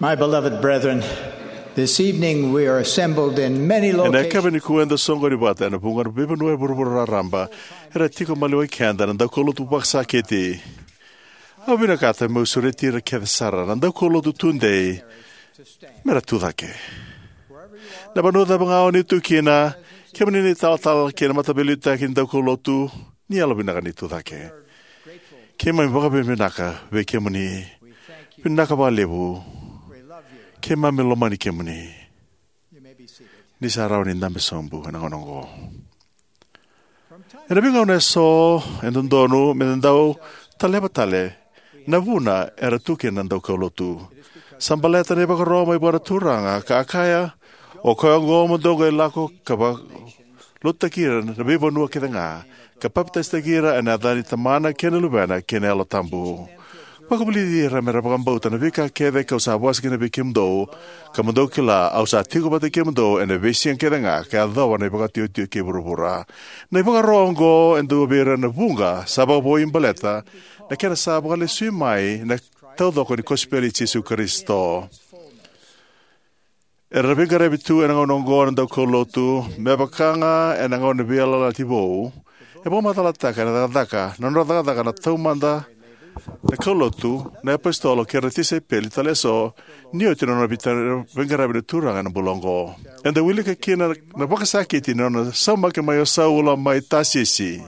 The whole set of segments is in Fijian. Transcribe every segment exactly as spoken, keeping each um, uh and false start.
My beloved brethren, this evening we are assembled in many locations. Ena yakavi nikua eda soqoni vata ena vuqa na veivanua e vuravura raraba. Era tiko maliwai keda na daukaulotu vakasakiti. Au vinakata meu sureti ira kece sara na daukaulotu tudei mera tu cake. Na vanua cava ga o ni tu kina, kemuni na italatala kei na mataveiliutaki ni daukaulotu, ni yalovinaka ni tu cake. Keimami vakavinavinaka vei kemuni. Vinaka vakalevu. Keimami lomani kemuni. Ni sa rawa ni dabe sobu ena gauna oqo. Ena veigauna eso e dodonu me da dau taleva tale na vuna era tu kina na daukaulotu. Sa baleta na ivakaro mai vua na Turaga ka a kaya, "O koya oqo mo dou qai lako ka vakalotutaki ira na veivanua kece ga, ka papitaisotaki ira ena yaca ni Tamana kei na Luvena kei na Yalo Tabu. Vakavulici ira mera vakabauta na veika kece kau sa vosa kina vei kemudou, ka mo dou kila au sa tiko vata kei kemudou ena veisiga kece ga ka yacova na ivakatiotio kei vuravura." Na ivakaro oqo e dua vei ira na vuqa sa vakavoui baleta na kena sa vakalesui mai na taucoko ni kosipeli i Jisu Karisito. Era veiqaravi tu ena gauna oqo na daukaulotu, me vaka ga ena gauna ni veiyalayalati vou. E vakamacalataka ena cakacaka, na nodra cakacaka na taumada na kaulotu, na iapositolo kei ira na tisaipeli tale eso, ni oti na nona veiqaravi na Turaga ena bula oqo. Eda wilika kina na vakasakiti ni nona saumaki mai o Saula mai Tasisi.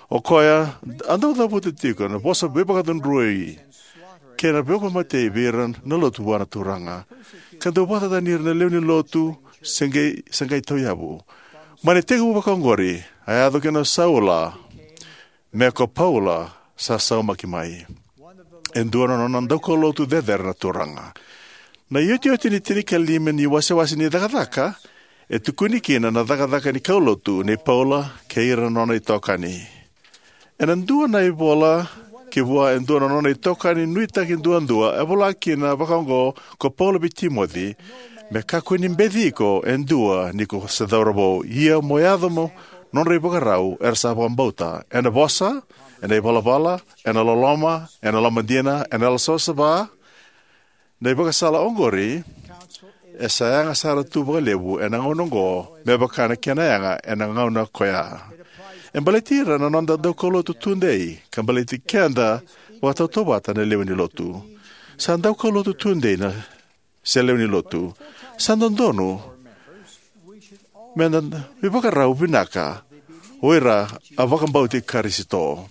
O koya a dau cavuta tiko na vosa veivakacudrui kei na veivakamatei vei ira na lotu vua na Turaga, ka dau vakacacani ira na lewe ni lotu se qai, se qai tauyavu. Mai na itekivu vakaoqori, a yaco kina o Saula me ko Paula sa saumaki mai, e dua na nona daukaulotu cecere na Turaga. Na iotioti ni tinikalima ni wasewase ni Cakacaka e tukuni kina na cakacaka ni kaulotu nei Paula kei ira na nona itokani. Ena dua na ivola ki vua e dua na nona itokani nuitaki duadua, e vola kina vakaoqo ko Paula vei Timoci: "Me kakua ni beci iko e dua ni ko se cauravou, ia mo yaco mo nodra ivakarau era sa vakabauta, ena vosa, ena ivalavala, ena loloma, ena lomadina, ena yalosavasava." Na ivakasala oqori e sa yaga sara tu vakalevu ena gauna oqo me vaka na kena yaga ena gauna koya. E baleti ira na noda daukaulotu tudei, ka baleti keda vakatautauvata na lewe ni lotu. Sa daukaulotu tudei na, se lewe ni lotu, sa dodonu me da veivakarau vinaka o ira a vakabauti Karisito.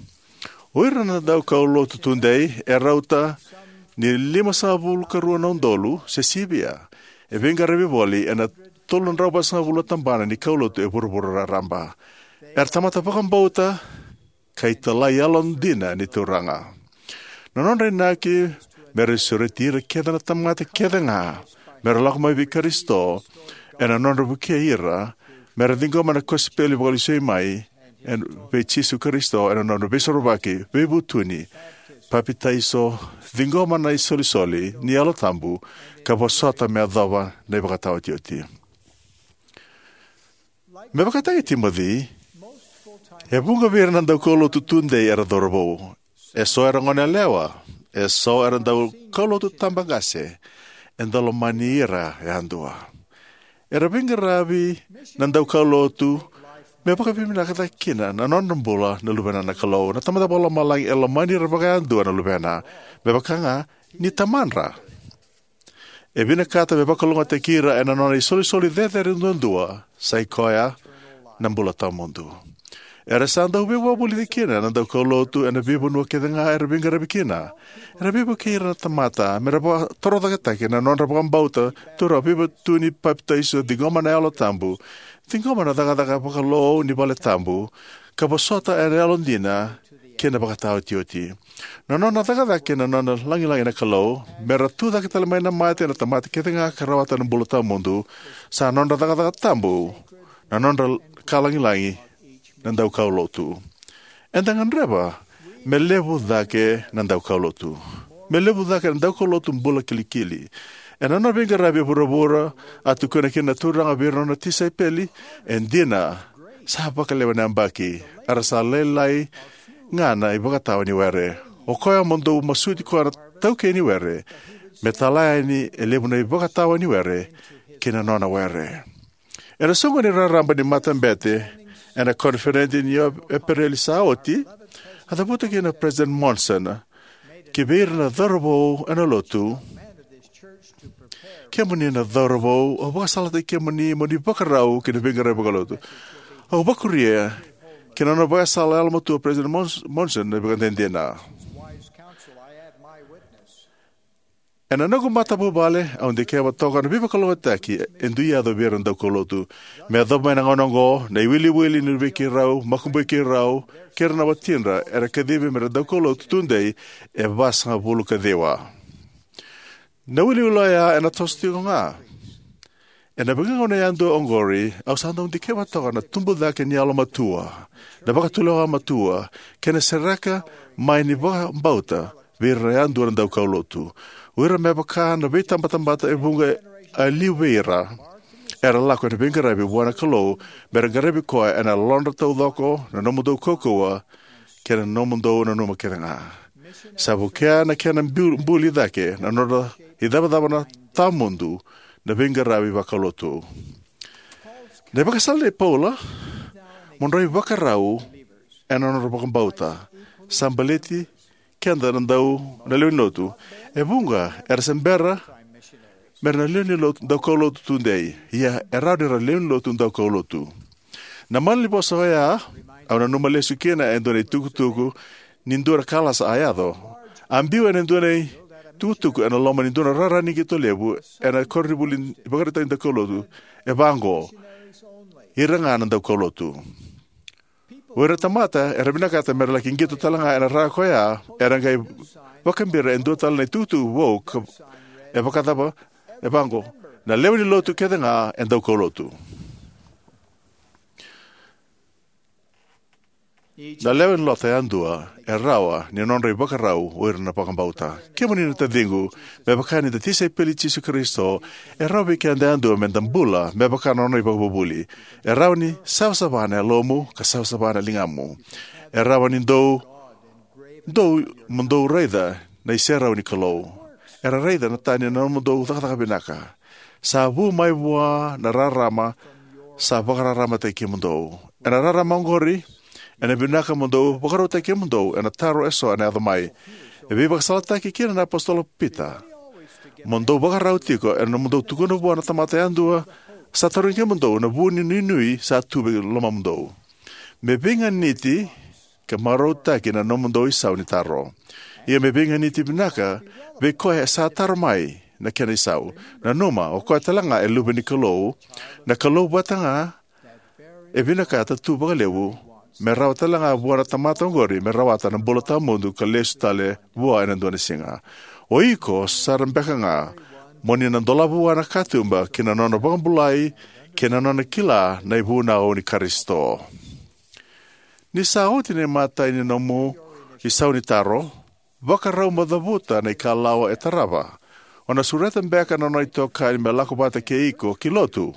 O ira na daukaulotu tudei e rauta ni limasagavulu ka rua na udolu se sivia, e veiqaravi voli ena tolu na drau vasagavulu na tabana ni kaulotu e vuravura raraba. Era tamata vakabauta ka italai yalodina ni Turaga. Na nodra inaki mera sureti ira kece na tamata kece ga mera lako mai vei Karisito, ena nodra vukei ira mera ciqoma na kosipeli vakalesui mai ena, vei Jisu Karisito, ena nodra veisorovaki, veivutuni, papitaiso, ciqoma na isolisoli ni Yalo Tabu, ka vosota me yacova na ivakataotioti. Me vakataki Timoci, e vuqa vei ira na daukaulotu tudei era cauravou. Eso era goneyalewa, eso era daukaulotu tabaqase, eda lomani ira yadua. Era veiqaravi na daukaulotu me vakavinavinakataka kina na nodra bula na luvena na Kalou. Na Tamada Vakalomalagi e lomani ira vakayadua na luvena, me vaka ga ni tamadra. E vinakata me vakalougatataki ira ena nona isolisoli cecere duadua, sa i koya na bula tawamudu. Era sa dau veivakavulici kina na daukaulotu ena veivanua kece ga era veiqaravi kina. Era veivukei ira na tamata mera vakatorocaketaki na nodra vakabauta, taura veivutuni, papitaiso, ciqoma na Yalo Tabu, ciqoma na cakacaka vakalou ni vale tabu, ka vosota ena yalodina kei na vakataotioti. Na nona cakacaka kei na nona lagilagi na Kalou mera tucake tale mai na mate na tamata kece ga ka rawata na bula tawamudu, sa nodra cakacaka tabu na nodra ka lagilagi na daukaulotu. Eda gadreva me levu cake na daukaulotu, me levu cake na daukaulotu bula kilikili. Ena nona veiqaravi e vuravura, a tukuna kina na Turaga vei ira na nona tisaipeli, e dina, sa vakalewe na yabaki, a ra sa lailai ga na ivakatawa ni were. O koya mo dou masuti koya na taukei ni were, Me tala yani e levu na ivakatawa ni were ki na nona were. Ena soqoni raraba ni matabete ena koniferedi ni Epereli sa oti, a cavuta kina o President Monson ki vei ira na cauravou ena lotu: Kemuni na cauravou, au vakasalataki kemuni mo ni vakarau ki na veiqaravi vakalotu. Au vakuria ki na nona vakasala yalomatua o President Mons- Monson na ivakadinadina. Ena noqu matavuvale, au dikeva toka na veivakalougatataki e dui yaco vei ira na daukaulotu. Me yacova mai na gauna oqo, na iwiliwili ni luvei keirau, makubui keirau, kei ira na watidra era kacivi me ra daukaulotu tudei e vasagavulu ka ciwa. Na iwiliwili oya ena toso tiko ga. Ena veigauna yadua oqori, au sa dau dikeva toka na tubu cake ni yalomatua, na vakatulewa matua, kei na sereka mai ni vakabauta vei ira yadua na daukaulotu. O ira me vaka na veitabatamata e vuqa e liu vei ira era lako ena veiqaravi vua na Kalou, me ra qaravi koya ena yalodra taucoko, na nomudou kaukauwa, kei na nomudou nanuma kece ga. Sa vukea na kena bu- buli cake na nodra icavacava na tawamudu na veiqaravi vakalotu. Na ivakasala nei Paula, mo drau ivakarau ena nodra vakabauta, sa baleti keda na dau na lewe ni lotu. E vuqa era se bera me ra na lewe ni lotu daukaulotu tudei, ia e rawa ni ra lewe ni lotu daukaulotu. Na malanivosa oya au nanuma lesu kina e dua na itukutuku ni dua na kalasa a yaco. A biu ena dua na itukutuku ena loma ni dua na rara ni qito levu ena koronivuli ivakaraitaki daukaulotu, e vaqo: Ira ga na daukaulotu. O ira na tamata era vinakata me ra laki qito tale ga ena rara ko ya era qai vakabira e dua tale na itukutuku vou ka e vakacava? E vaqo: Na lewe ni lotu kece ga e daukaulotu. Na lewe ni lotu yadua e rawa ni nodra ivakarau o ira na vakabauta. Kemuni na taciqu, me vaka ni da tisaipeli i Jisu Karisito, e rawa vei keda yadua me da bula me vaka na nona ivakavuvuli. E rawa ni savasava na yalomu ka savasava na ligamu. E rawa ni dou dou mo dou raica na iserau ni Kalou. Era raica na tani na nomudou cakacaka vinaka. Sa vu mai vua na rarama sa vakararamataki kemudou. Ena rarama oqori, ena vinaka mo dou vakarautaki kemudou ena taro eso ena yaco mai. E veivakasalataki kina na apositolo Pita: Mo dou vakarau tiko ena nomudou tukuna vua na tamata yadua sa tarogi kemudou na vu ni nuinui sa tu vei lomamudou. Me veiganiti ka marautaki na nomudou isau ni taro. Ia me veiganiti vinaka vei koya e sa taro mai na kena isau. Nanuma, o koya tale ga e luve ni Kalou, na Kalou vata ga e vinakata tu vakalevu me rawa tale ga vua na tamata oqori me rawata na bula tawamudu ka lesu tale vua ena dua na siga. O iko sara beka ga mo ni na dolava vua na katuba ki na nona vakabulai kei na nona kila na ivunau ni Karisito. Ni sa oti na imatai ni nomu isau ni taro, vakarau mo cavuta na ikalawa e tarava. O na sureta beka na nona itokani me lako vata kei iko ki lotu.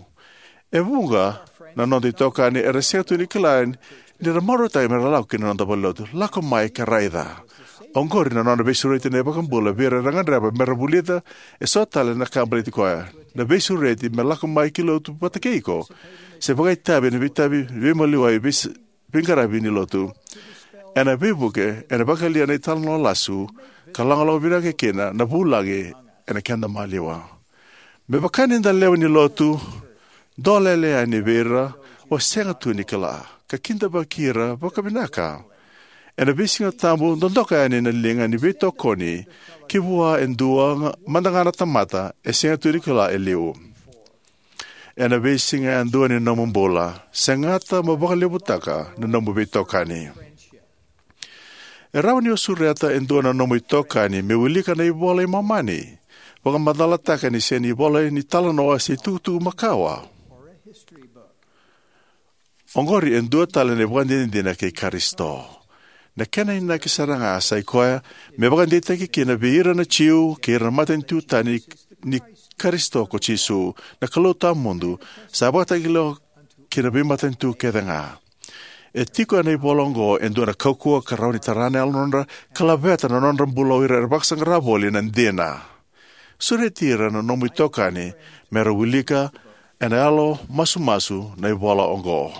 E vuqa na noda itokani era sega tu ni kila ni ra marautaki me ra lako ki na noda valenilotu. Lako mai ka raica. Oqori na nona veisureti na iVakabula vei ira era gadreva me ra vulica eso tale na ka baleti koya. Na veisureti me lako mai ki lotu vata kei iko se vakaitavi ena veitavi veimaliwai veis- veiqaravi ni lotu. Ena veivuke, ena vakayalia na italanoa lasu ka lagolago vinaka kina na vulagi ena keda maliwa. Me vaka ni da lewe ni lotu, dolele yani vei ira o sega tu ni kila ka kidavaki ira vakavinaka. Ena veisiga tabu, dodoka yani na liga ni veitokoni ki vua e dua ga- mada ga na tamata e sega tu ni kila e liu. Ena veisiga yadua ni nomu bula, segata mo vakalevutaka na nomu veitokani. E rawa ni o sureta e dua na nomu itokani me wilika na iVola i Momani, vakamacalataka ni sega ni ivola ni talanoa se itukutuku makawa. Oqori e dua tale na ivakadinadina kei Karisito. Na kena inaki sara ga sai koya me vakadeitaki kina vei ira na Jiu kei ira na matanitu tani ni Karisito ko Jisu, na Kalou tawamudu, sa vakatakila ki na veimatanitu kece ga. E tiko ena ivola oqo e dua na kaukauwa ka rawa ni tara na yalodra ka laveta na nodra bula o ira era vakasaqara voli na dina. Sureti ira na nomu itokani me ra wilika ena yalo masumasu na ivola oqo.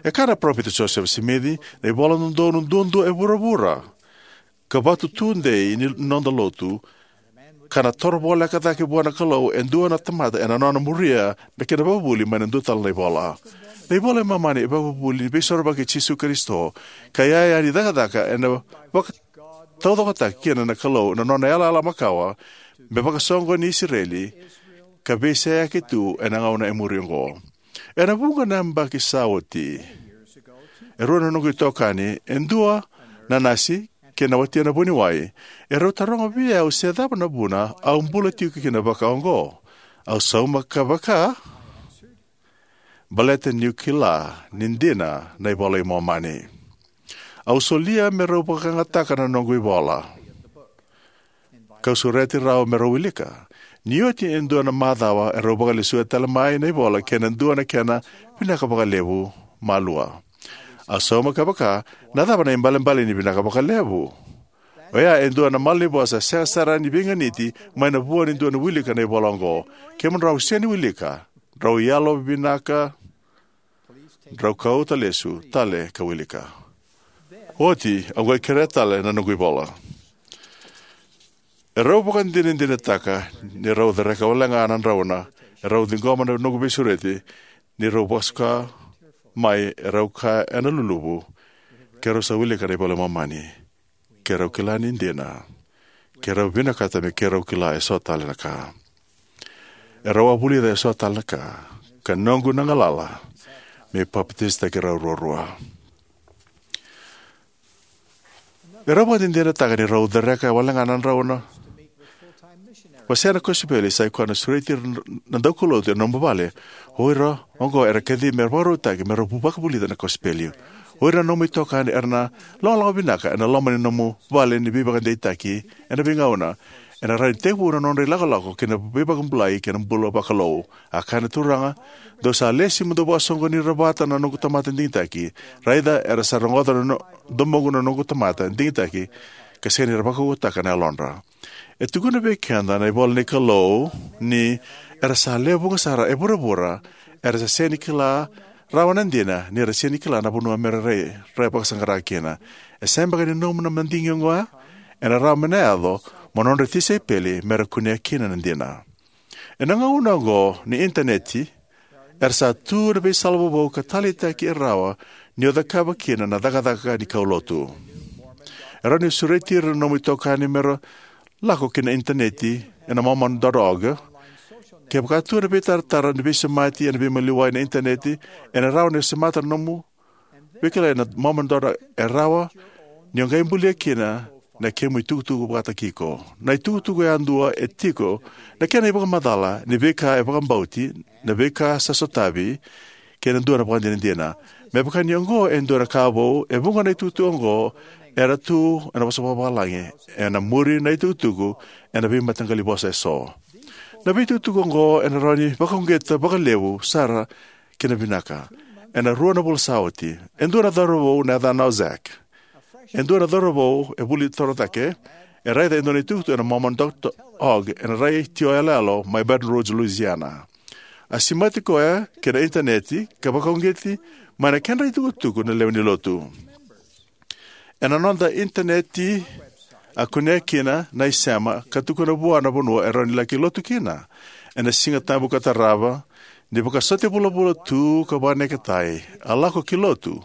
E kaya na Parofita Josefa Simici, na ivola dodonu duadua e vuravura, ka vatu tudei ni noda lotu, ka na toro voleka cake vua na Kalou e dua na tamata ena nona muria na kena vakavuli mai na dua tale na ivola. Na iVola i Momani e vakavuvuli ni Veisorovaki i Jisu Karisito, ka iyaya ni cakacaka ena vakataucokotaki kina na Kalou na nona yalayala makawa me vakasoqoni Isireli, ka veiseyaki tu ena gauna e muri oqo. Ena vuqa na yabaki sa oti, e rua na noqu itokani, e dua na nasi kei na watina vuniwai, e rau taroga vei au se cava na vuna au bula tiko kina vaka oqo. Au sauma ka vaka, baleta niu kila ni dina na iVola i Momani. Au solia me rau vakayagataka na noqu ivola, kau sureti rau me rau wilika. Ni oti e dua na macawa, e rau vakalesuya tale mai na ivola kei na dua na kena vinaka vakalevu malua. Au sauma ka vaka, na cava na ibalebale ni vinaka vakalevu? Oya e dua na malanivosa sega sara ni veiganiti mai na vua ni dua na wilika na ivola oqo. Kemudrau sega ni wilika, drau yalo vinaka, drau kauta lesu tale ka wilika. Oti au qai kerea tale na noqu ivola. E rau vakadinadinataka ni rau cereka wale ga na drauna e rau ciqoma na noqu veisureti, ni rau vakasuka mai e rau kaya ena luluvu, ke rau sa wilika na iVola i Momani, ke rau kila ni dina, ke rau vinakata me ke rau kila e so tale na ka. E rau a vulica e so tale na ka, ka noqu na galala me papitaisotaki rau ruarua. E rau vakadinadinataka ni rau cereka wale ga na drauna wasea na kosipeli, sa i koya na sureti ira na daukaulotu ena nomu vale. O ira oqo era kacivi me vakarautaki me rau vakavulica na kosipeli. O ira na nomu itokani era na logaloga vinaka ena loma ni nomu vale ni veivakadeitaki ena veigauna. Ena rawa ni tekivu na nodra ilakolako ki na veivakabulai kei na bula vakalou. A kaya na Turaga, dou sa lesi mo dou vakasoqoni ira vata na noqu tamata digitaki. Raica era sa rogoca na no-, domoqu na noqu tamata digitaki, ka sega ni ra vakaukauwataka na yalodra. E tukuna vei keda na ivola ni Kalou ni era sa lewe vuqa sara e vuravura era sa sega ni kila rawa na dina, ni ra sega ni kila na vanua me ra rai, rai vakasaqara kina. E sega beka ni nomu na madigi oqo, ena rawa me na yaco mo nodra tisaipeli me ra kunea kina na dina. Ena gauna oqo ni Initaneti, era sa tu na veisala vovou ka taleitaki e rawa ni o cakava kina na cakacaka ni kaulotu. E rawa ni sureti ira na nomu itokani me ra lako ki na Initaneti ena Mormon dot org. Kevaka tu na veitaratara ni veisemati ena veimaliwai na Initaneti, ena rawa ni semata na nomu veikilai na Mormon dot org, e rawa ni o qai bulia kina na kemu itukutuku vakataki iko. Na itukutuku yadua e tiko na kena ivakamacala ni veika e vakabauti, na veika sa sotavi, kei na dua na vakadinadina. Me vaka ni oqo e dua na ka vou, e vuqa na itukutuku oqo era tu ena vosa vakavalagi, ena muri na itukutuku ena veimataqali vosa eso. Na veitukutuku oqo ena rawa ni vakauqeta vakalevu sara kei na vinaka. Ena rua na vula sa oti, e dua na cauravou na yacana o Zach, e dua na cauravou e vuli toro cake, e raica e dua na itukutuku ena Mormon dot org ena retio yaloyalo mai Baton Rouge, Louisiana. A semati koya ki na Initaneti ka vakauqeti mai na kedra itukutuku na lewe ni lotu. Ena noda Initaneti a kunea kina na isema ka tukuna vua na vanua e rawa ni laki lotu kina. Ena Siga Tabu ka tarava, ni vakasote vulavula tu ka vakaneketai, a lako ki lotu.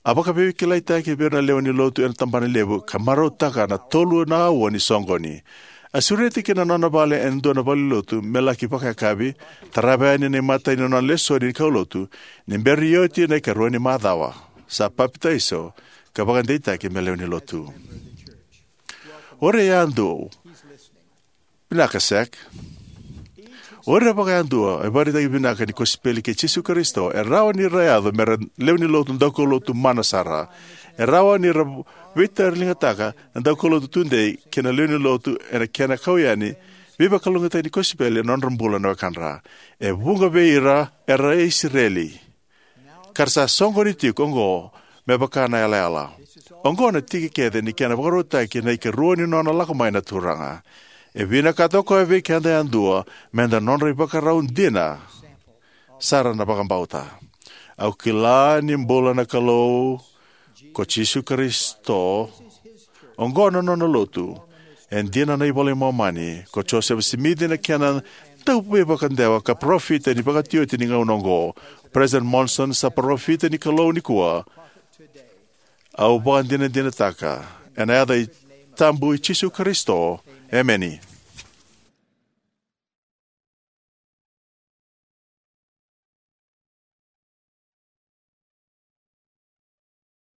A vakaveikilaitaki vei ira na lewe ni lotu ena tabana levu ka marautaka na tolu na aua ni soqoni. A sureti ki na nona vale ena dua na valenilotu me laki vakayakavi, tarava yani na imatai ni nona lesoni ni kaulotu, ni bera ni oti na ikarua ni macawa. Sa papitaiso ka vakadeitaki me lewe ni lotu. O ira yadua, vinaka Zach. O ira vakayadua e vakaraitaki vinaka ni kosipeli kei Jisu Karisito, e rawa ni ra yaco me ra lewe ni lotu daukaulotu mana sara. E rawa ni ra veitauriligataka na daukaulotu tudei kei na lewe ni lotu ena kena kau yani veivakalougatataki ni kosipeli ena nodra bula na wekadra. E vuqa vei ira era Isireli, ka ra sa soqoni tiko oqo me vaka na yalayala. Oqo na tiki kece ni kena vakarautaki na ikarua ni nona lako mai na Turaga. E vinakata o koya vei keda yadua me da nodra ivakarau dina sara na vakabauta. Au kila ni bula na Kalou ko Jisu Karisito. Oqo na nona lotu. E dina na iVola i Momani, ko Josefa Simici na kena dauveivakadewa ka parofita ni vakatioti ni gauna oqo. President Monson sa parofita ni Kalou nikua. Au vakadinadinataka ena yaca i tabu i Jisu Karisito. Emeni.